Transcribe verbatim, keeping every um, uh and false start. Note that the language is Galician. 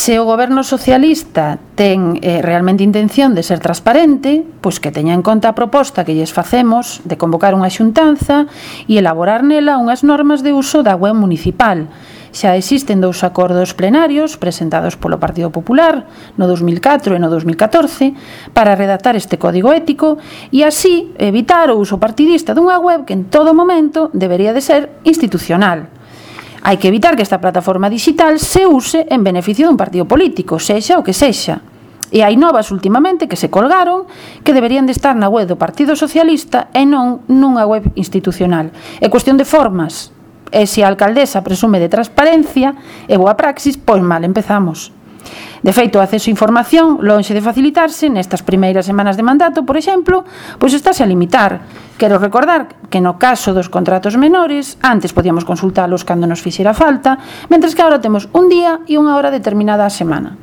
Se o goberno socialista ten eh, realmente intención de ser transparente, pois que teña en conta a proposta que lles facemos de convocar unha xuntanza e elaborar nela unhas normas de uso da web municipal. Xa existen dous acordos plenarios presentados polo Partido Popular no dos mil catro e no dos mil catorce para redactar este código ético e así evitar o uso partidista dunha web que en todo momento debería de ser institucional. Hai que evitar que esta plataforma digital se use en beneficio dun partido político, sexa o que sexa. E hai novas últimamente que se colgaron que deberían de estar na web do Partido Socialista e non nunha web institucional. É cuestión de formas. E se a alcaldesa presume de transparencia e boa praxis, pois mal empezamos. De feito, o acceso a información, lonxe de facilitarse, nestas primeiras semanas de mandato, por exemplo, pois estáse a limitar. Quero recordar que no caso dos contratos menores, antes podíamos consultalos cando nos fixera falta, mentres que agora temos un día e unha hora determinada a semana.